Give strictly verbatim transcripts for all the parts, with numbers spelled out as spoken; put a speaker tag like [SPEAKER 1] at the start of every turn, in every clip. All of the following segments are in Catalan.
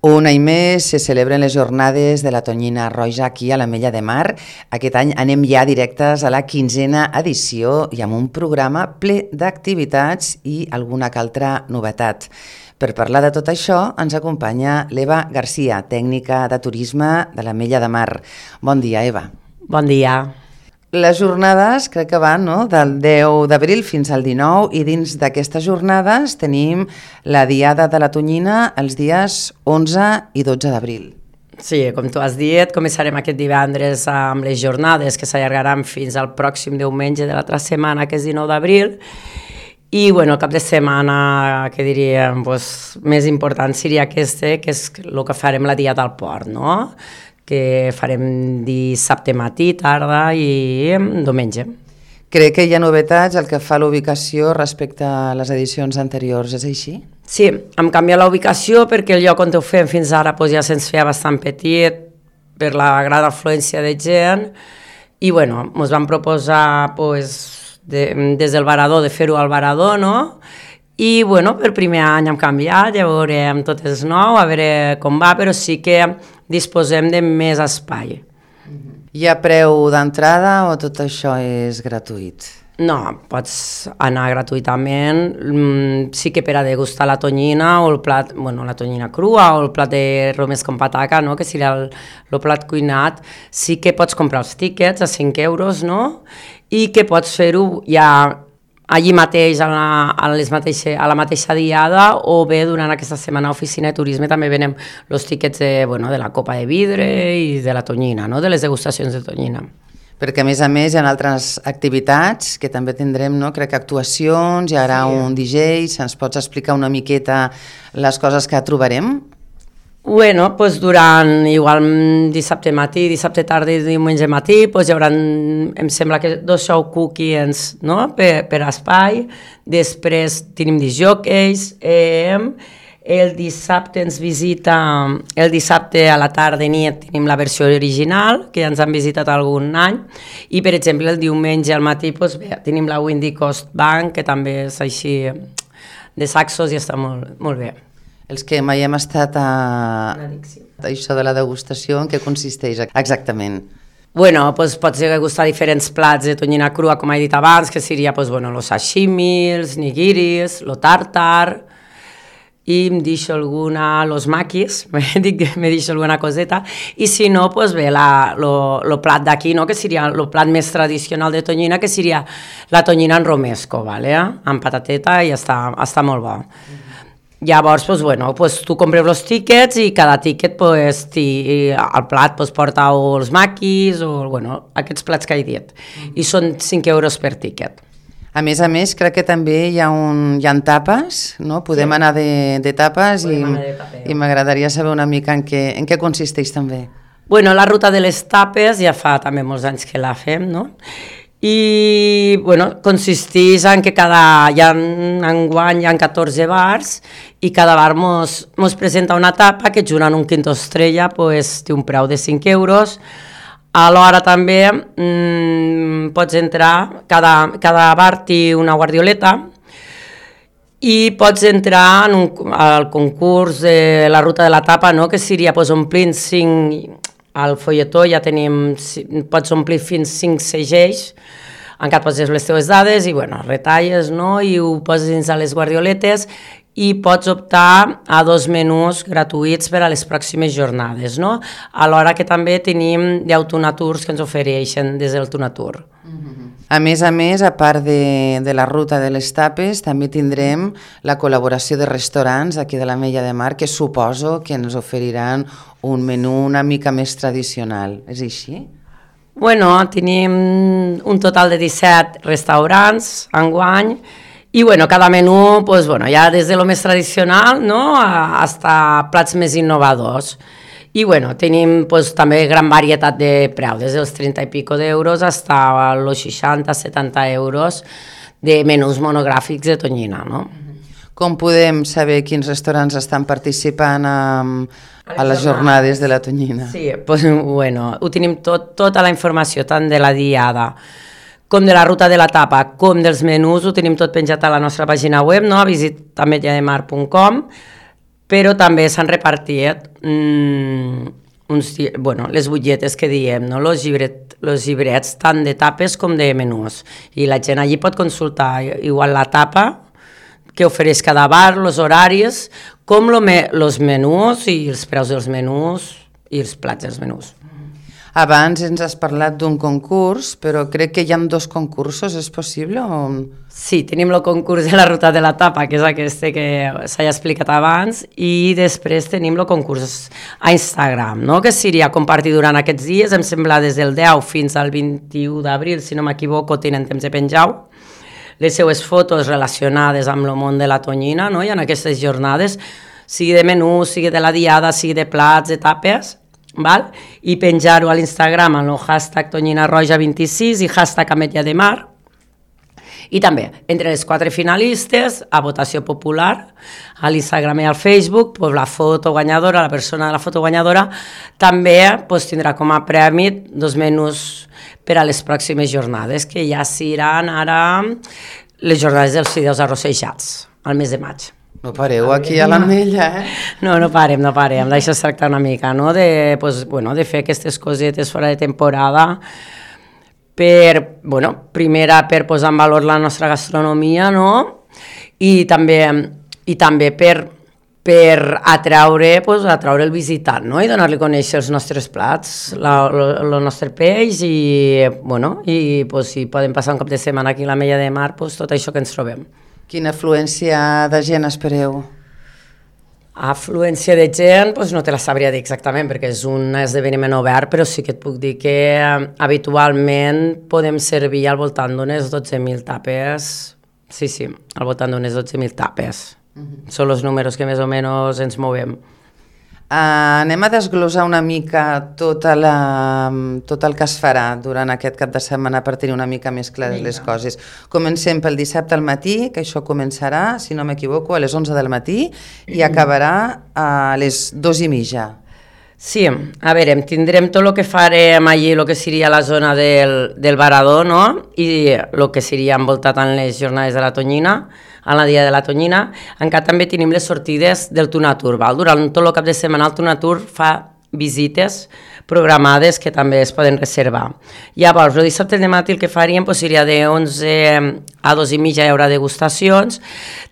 [SPEAKER 1] Un any més se celebren les jornades de la tonyina roja aquí a l'Ametlla de Mar. Aquest any anem ja directes a la quinzena edició i amb un programa ple d'activitats i alguna que altra novetat. Per parlar de tot això ens acompanya l'Eva Garcia, tècnica de turisme de l'Ametlla de Mar. Bon dia, Eva.
[SPEAKER 2] Bon dia.
[SPEAKER 1] Les jornades crec que van no? del deu d'abril fins al dinou i dins d'aquestes jornades tenim la Diada de la Tonyina els dies onze i dotze d'abril.
[SPEAKER 2] Sí, com tu has dit, començarem aquest divendres amb les jornades que s'allargaran fins al pròxim diumenge de l'altra setmana, que és dinou d'abril, i bueno, el cap de setmana, que diríem, doncs, més important seria aquest, que és el que farem la Diada al Port, no?, que farem dissabte matí, tarda i diumenge.
[SPEAKER 1] Crec que hi ha novetats el que fa l'ubicació respecte a les edicions anteriors, és així?
[SPEAKER 2] Sí, hem canviat la ubicació perquè el lloc on ho fem fins ara doncs, ja se'ns feia bastant petit per la gran afluència de gent i bueno, ens vam proposar doncs, de, des del Varador de fer-ho al Varador, no? I bueno, per primer any hem canviat, ja veurem tot és nou, a veure com va, però sí que disposem de més espai.
[SPEAKER 1] Hi ha preu d'entrada o tot això és gratuït?
[SPEAKER 2] No, pots anar gratuïtament, sí que per a degustar la tonyina o el plat, bueno, la tonyina crua o el plat de romés con pataca, no? Que seria el, el plat cuinat, sí que pots comprar els tíquets a cinc euros, no? I que pots fer-ho ja allí mateix, a la, a, les mateixa, a la mateixa diada, o bé durant aquesta setmana a Oficina de Turisme també venem els tíquets de, bueno, de la copa de vidre i de la tonyina, no? De les degustacions de tonyina.
[SPEAKER 1] Perquè a més a més hi ha altres activitats que també tindrem, no? Crec que actuacions, hi haurà sí. un D J, se'ns pots explicar una miqueta les coses que trobarem?
[SPEAKER 2] Bueno, doncs durant igual dissabte matí, dissabte tarda i diumenge matí, doncs hi haurà, em sembla que dos show cookies, no?, per, per espai, després tenim disjòqueis, eh, el dissabte ens visita, el dissabte a la tarda i nit tenim la versió original, que ja ens han visitat algun any, i per exemple el diumenge al matí doncs, bé, tenim la Windy Coast Bank, que també és així de saxos i està molt, molt bé.
[SPEAKER 1] Els que mai hem estat a... això de la degustació, en què consisteix exactament?
[SPEAKER 2] Bueno, doncs pots degustar diferents plats de tonyina crua, com he dit abans, que seria, doncs, bueno, los sashimi, els nigiris, lo tartar, i em deixo alguna, los maquis, dic que me deixo alguna coseta, i si no, doncs bé, la, lo, lo plat d'aquí, no?, que seria el plat més tradicional de tonyina, que seria la tonyina en romesco, vale? Amb patateta, i està, està molt bo. Llavors, pues, bueno, pues, tu compreu els tíquets i cada tíquet pues, ti, al plat pues, porta o els maquis o bueno, aquests plats que he dit. I són cinc euros per tíquet.
[SPEAKER 1] A més a més, crec que també hi ha, un, hi ha tapes, no? Podem sí. anar de, de tapes i, i m'agradaria saber una mica en què, en què consisteix també.
[SPEAKER 2] Bueno, la ruta de les tapes ja fa també molts anys que la fem, no? I bueno, consisteix en que cada, hi ha, enguany hi ha catorze bars i cada bar mos, mos presenta una tapa que junt amb un quinto estrella pues, té un preu de cinc euros. Alhora també mmm, pots entrar, cada, cada bar té una guardioleta i pots entrar en un, al concurs de la ruta de la tapa, no? Que seria pues, omplint cinc... Al folletó ja tenim, pots omplir fins cinc segells, encara poses les teves dades i bueno, retalles, no? I ho poses dins a les guardioletes i pots optar a dos menús gratuïts per a les pròximes jornades, no? Alhora que també tenim d'autonatours que ens ofereixen des del Tonatur.
[SPEAKER 1] A més a més, a part de, de la ruta de les tapes, també tindrem la col·laboració de restaurants aquí de l'Ametlla de Mar, que suposo que ens oferiran un menú una mica més tradicional. És així?
[SPEAKER 2] Bueno, tenim un total de disset restaurants enguany i bueno, cada menú, pues, bueno, ja des de lo més tradicional, no?, hasta plats més innovadors. I bueno, tenim pues, també gran varietat de preu, des dels trenta i pico d'euros fins als seixanta setanta euros de menús monogràfics de tonyina, no?
[SPEAKER 1] Com podem saber quins restaurants estan participant a, a les jornades de la tonyina?
[SPEAKER 2] Sí, pues, bueno, ho tenim tot, tota la informació, tant de la diada com de la ruta de la tapa, com dels menús, ho tenim tot penjat a la nostra pàgina web, no? A visit ametlla de mar punt com. però també s'han repartit mm, uns, bueno, les butlletes que diem, no? Los, llibret, los llibrets tant de tapes com de menús, i la gent allí pot consultar igual la tapa que ofereix cada bar, els horaris, com els me, menús i els preus dels menús i els plats dels menús.
[SPEAKER 1] Abans ens has parlat d'un concurs, però crec que hi ha dos concursos, és possible? O...
[SPEAKER 2] Sí, tenim el concurs de la ruta de la tapa, que és aquest que s'ha explicat abans, i després tenim el concurs a Instagram, no? Que seria compartir durant aquests dies, em sembla des del deu fins al vint-i-u d'abril, si no m'equivoco, tenen temps de penjar les seues fotos relacionades amb el món de la tonyina, no? I en aquestes jornades, sigui de menú, sigui de la diada, sigui de plats, de tapes, val? I penjar-ho a l'Instagram amb el hashtag tonyina roja vint-i-sis i hashtag ametlla de mar. I també, entre les quatre finalistes, a votació popular, a l'Instagram i al Facebook, pues, la foto guanyadora, la persona de la foto guanyadora, també pues, tindrà com a premi dos menús per a les pròximes jornades, que ja seran ara les jornades dels fideus arrossejats, al mes de maig.
[SPEAKER 1] No pareu aquí a l'Ametlla, eh?
[SPEAKER 2] No, no parem, no parem, d'això es tracta una mica, no? De, pues, bueno, de fer aquestes cosetes fora de temporada per, bueno, primera per posar en valor la nostra gastronomia, no? I també, i també per, per atraure, pues, atraure el visitant, no? I donar-li a conèixer els nostres plats, la, lo, el nostre peix i, bueno, i pues, si podem passar un cop de setmana aquí a l'Ametlla de Mar, pues, tot això que ens trobem.
[SPEAKER 1] Quina afluència de gent espereu?
[SPEAKER 2] Afluència de gent, doncs no te la sabria dir exactament, perquè és un esdeveniment obert, però sí que et puc dir que habitualment podem servir al voltant d'unes dotze mil tapes. Sí, sí, al voltant d'unes dotze mil tapes. Uh-huh. Són els números que més o menys ens movem.
[SPEAKER 1] Uh, anem a desglosar una mica tota la, tot el que es farà durant aquest cap de setmana per tenir una mica més clares les coses. Comencem pel dissabte al matí, que això començarà, si no m'equivoco, a les onze del matí i acabarà a les dues i mitja.
[SPEAKER 2] Sí, a veure, tindrem tot el que farem allí, el que seria la zona del, del Varador, no? I el que seria envoltat en les jornades de la Tonyina, a la dia de la Tonyina. Encara també tenim les sortides del Tunatur, val? Durant tot el cap de setmana el Tunatur fa visites programades que també es poden reservar. Llavors, el dissabte de matí el que faríem pues, seria de onze a dos i mitja hi haurà degustacions.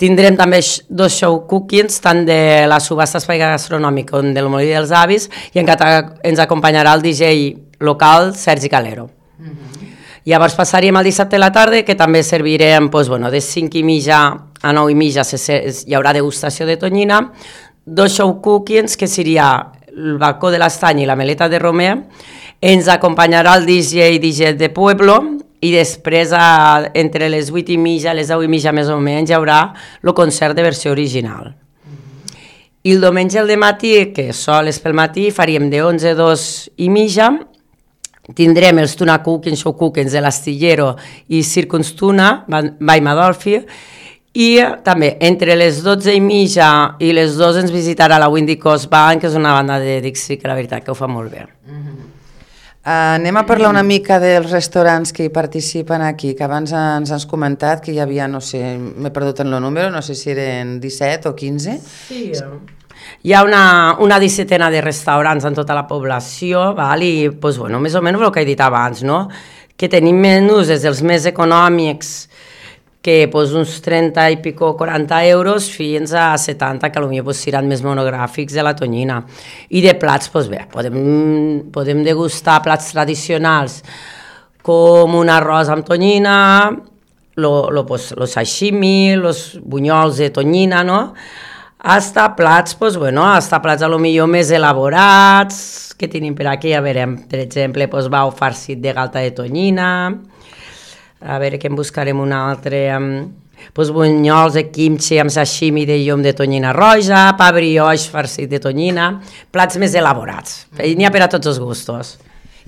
[SPEAKER 2] Tindrem també dos show cookings, tant de la subhasta espai gastronòmic com del Molí dels Avis, i encara ens acompanyarà el D J local Sergi Calero. Mm-hmm. Llavors passaríem al dissabte a la tarda, que també servirem pues, bueno, de cinc i mitja a nou i mitja hi haurà degustació de tonyina, dos show cookings, que seria el balcó de l'Estany i la meleta de Romer, ens acompanyarà el D J D J de Pueblo, i després a, entre les vuit i mitja i les deu i mitja més o menys hi haurà el concert de versió original. Mm-hmm. I el diumenge al matí, que sol és pel matí, faríem de onze a dos i mitja, tindrem els Tuna Cookings, Show Cookings de l'Astillero i Circus Tuna, by Madolfi, i també entre les dotze i mitja i les dues ens visitarà la Windy Coast Band, que és una banda de Dixie que la veritat que ho fa molt bé.
[SPEAKER 1] Mm-hmm. Uh, anem a parlar una mica dels restaurants que hi participen aquí, que abans ens has comentat que hi havia, no sé, m'he perdut en el número, no sé si eren disset o quinze.
[SPEAKER 2] Sí, hi ha una, una dissetena de restaurants en tota la població, val? I pues, bueno, més o menys el que he dit abans, no? Que tenim menús des dels més econòmics, que pues, uns trenta i pico, quaranta euros, fins a setanta, que potser pues, seran més monogràfics de la tonyina. I de plats, pues, bé, podem, podem degustar plats tradicionals com un arròs amb tonyina, lo, lo, pues, los sashimi, los bunyols de tonyina, no? Hasta plats, pues, bueno, hasta plats a lo millor més elaborats, que tenim per aquí, a veure, per exemple, pues, bau farcit de galta de tonyina, a veure que en buscarem un altre, pues, bunyols de kimchi amb sashimi de llom de tonyina roja, pa brioix farcit de tonyina, plats més elaborats, n'hi ha per a tots els gustos.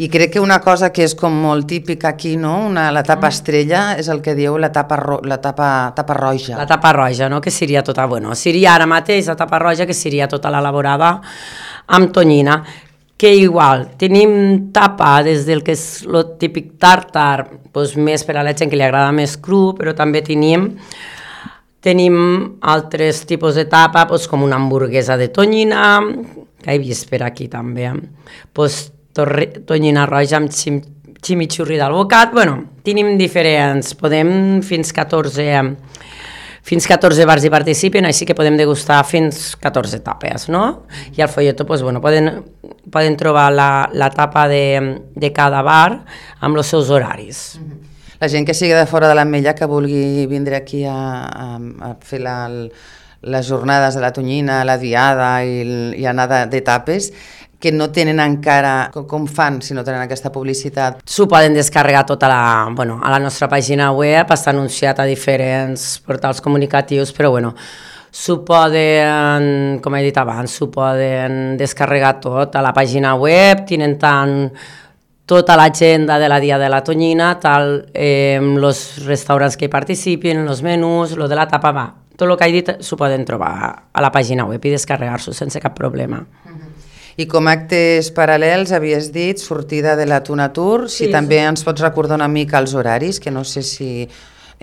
[SPEAKER 1] I crec que una cosa que és com molt típica aquí, no? Una, la tapa estrella és el que dieu la tapa, ro, la tapa, tapa roja.
[SPEAKER 2] La tapa roja, no? Que seria tota, bueno, seria ara mateix la tapa roja, que seria tota l'elaborada amb tonyina, que igual tenim tapa des del que és el típic tàrtar, doncs més per a la gent que li agrada més cru, però també tenim Tenim altres tipus de tapa, doncs, com una hamburguesa de tonyina, que he vist per aquí també, doncs, torre, tonyina roja amb xim, ximichurri d'alvocat. Bueno, tenim diferents, podem fins catorze, fins catorze bars hi participen, així que podem degustar fins catorze tapes, no? I al folleto, doncs, bueno, poden, poden trobar la, la tapa de, de cada bar amb els seus horaris. Mm-hmm.
[SPEAKER 1] La gent que sigui de fora de l'Ametlla, que vulgui vindre aquí a, a, a fer la, les jornades de la tonyina, la diada i, i anar de, de tapes, que no tenen encara, com, com fan si no tenen aquesta publicitat?
[SPEAKER 2] S'ho poden descarregar tota la, bueno, a la nostra pàgina web, està anunciat a diferents portals comunicatius, però bueno, s'ho poden, com he dit abans, s'ho poden descarregar tot a la pàgina web, tenen tant tota l'agenda de la dia de la tonyina, tal, eh, els restaurants que hi participen, els menús, lo de la tapa, va. Tot el que he dit s'ho poden trobar a la pàgina web i descarregar-s'ho sense cap problema.
[SPEAKER 1] Uh-huh. I com a actes paral·lels havies dit sortida de la Tuna Tour, si sí, també sí. Ens pots recordar una mica els horaris, que no sé si...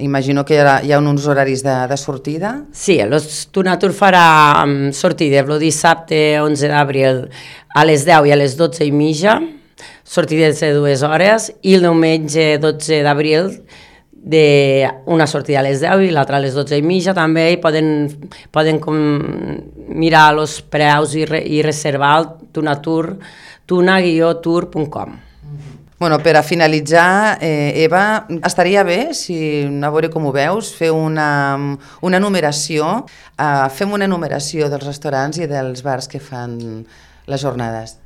[SPEAKER 1] Imagino que hi ha, hi ha uns horaris de, de sortida.
[SPEAKER 2] Sí, el Tuna Tour farà um, sortida el dissabte onze d'abril a les deu i a les dotze i mitja, sortides de dues hores, i el diumenge dotze d'abril de una sortida a les deu i l'altra a les dotze i mitja també, i poden, poden com mirar els preus i, re, i reservar el Tuna Tour, tuna guió tour punt com.
[SPEAKER 1] Bueno, per a finalitzar, eh, Eva, estaria bé, si a veure com ho veus, fer una, una numeració, eh, fem una numeració dels restaurants i dels bars que fan les jornades.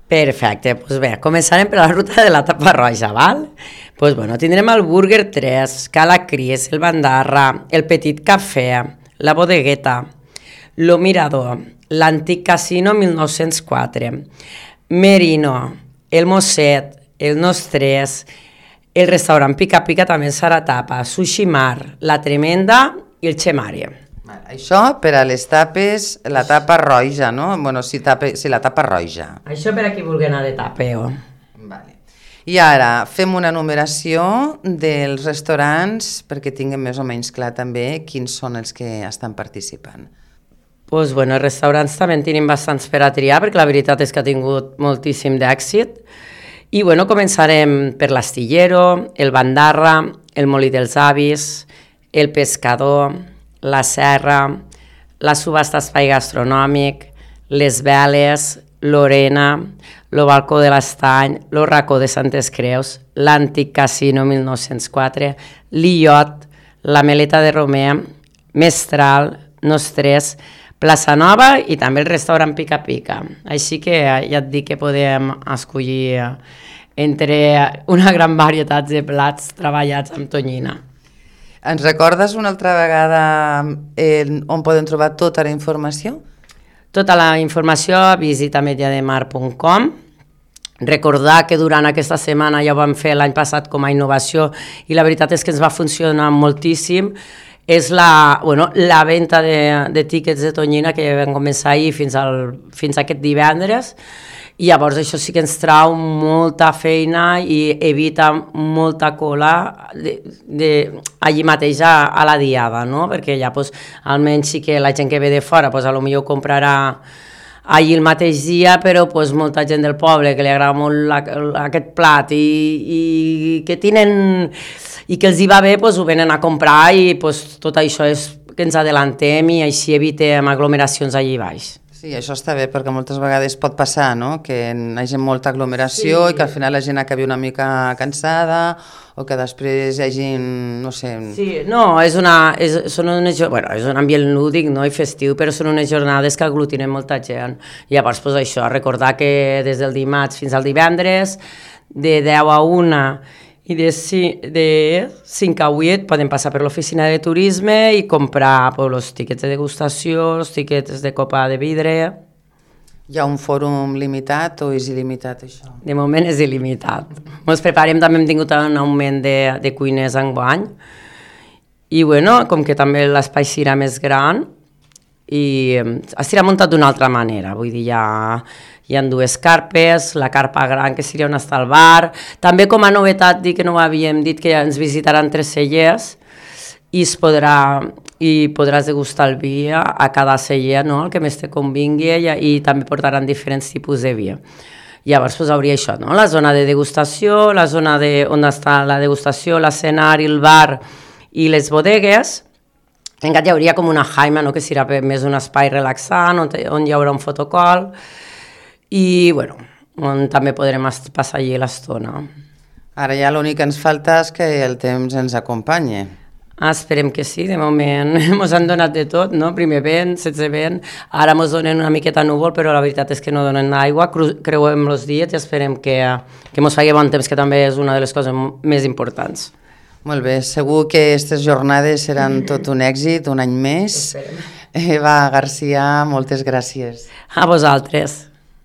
[SPEAKER 2] Perfecte, doncs bé, començarem per la ruta de la tapa roja, val? Doncs bueno, tindrem el Burger tres, Cala Cris, el Bandarra, el Petit Cafè, la Bodegueta, lo Mirador, l'Antic Casino mil nou-cents quatre, Merino, el Mosset, el Nostres, el restaurant Pica Pica també serà tapa, Sushi Mar, la Tremenda i el Chemari.
[SPEAKER 1] Això per a les tapes, la tapa roja, no? Bueno, si, tape, si la tapa roja.
[SPEAKER 2] Això per a qui vulgui anar de tapeo.
[SPEAKER 1] Vale. I ara fem una numeració dels restaurants perquè tinguem més o menys clar també quins són els que estan participant.
[SPEAKER 2] Pues bueno, els restaurants també en tenim bastants per a triar, perquè la veritat és que ha tingut moltíssim d'èxit. I bueno, començarem per l'Astillero, el Bandarra, el Molí dels Avis, el Pescador, la Serra, la Subhasta Espai Gastronòmic, les Veles, l'Orena, el Balcó de l'Estany, el Racó de Santes Creus, l'Antic Casino mil nou-cents quatre, l'Illot, la Meleta de Romer, Mestral, Nostres, Plaça Nova i també el restaurant Pica Pica. Així que ja et dic que podem escollir entre una gran varietat de plats treballats amb tonyina.
[SPEAKER 1] Ens recordes una altra vegada eh, on podem trobar tota la informació?
[SPEAKER 2] Tota la informació a visita mediademar punt com. Recordar que durant aquesta setmana ja ho vam fer l'any passat com a innovació i la veritat és que ens va funcionar moltíssim. És la, bueno, la venda de, de tíquets de tonyina que vam començar ahir fins, al, fins a aquest divendres. I llavors això sí que ens trau molta feina i evita molta cola de, de, allí mateix a, a la diada, no? Perquè ja pues, almenys sí que la gent que ve de fora pues, potser comprarà allí el mateix dia, però pues, molta gent del poble que li agrada molt la, aquest plat i, i que tenen i que els hi va bé, pues, ho venen a comprar i pues, tot això és que ens adellantem i així evitem aglomeracions allí baix.
[SPEAKER 1] Sí, això està bé, perquè moltes vegades pot passar, no?, que hi hagi molta aglomeració sí. I que al final la gent acabi una mica cansada o que després hi hagi, no sé...
[SPEAKER 2] Sí, no, és, una, és, són unes, bueno, és un ambient lúdic, no?, i festiu, però són unes jornades que aglutinen molta gent. I llavors, pues, això, recordar que des del dimarts fins al divendres, de deu a una i de, de cinc a vuit poden passar per l'oficina de turisme i comprar pues, els tiquets de degustació, els tiquets de copa de vidre.
[SPEAKER 1] Hi ha un fòrum limitat o és il·limitat això?
[SPEAKER 2] De moment és il·limitat. Ens preparem, també hem tingut un augment de, de cuiners enguany i bueno, com que també l'espai serà més gran i estarà muntat d'una altra manera, vull dir, ja... Hi ha dues carpes, la carpa gran que seria on està el bar. També com a novetat, dic que no ho havíem dit, que ens visitaran tres cellers i es podrà i podràs degustar el vi a cada celler, no? El que més te convingui, i, i també portaran diferents tipus de vi. Llavors pues, hauria això, no? La zona de degustació, la zona de, on està la degustació, l'escenari, el bar i les bodegues. Encara hi hauria com una jaima, no? Que serà més un espai relaxant, on, on hi haurà un fotocol i bueno, on també podrem passar allí l'estona.
[SPEAKER 1] Ara ja l'únic que ens falta és que el temps ens acompanyi.
[SPEAKER 2] Ah, esperem que sí, de moment ens han donat de tot, no? Primer vent, setze vent, ara ens donen una miqueta núvol, però la veritat és que no donen aigua, creuem els dies i esperem que, que ens faci bon temps, que també és una de les coses més importants.
[SPEAKER 1] Molt bé, segur que aquestes jornades seran tot un èxit, un any més.
[SPEAKER 2] Esperem.
[SPEAKER 1] Eva Garcia, moltes gràcies.
[SPEAKER 2] A vosaltres.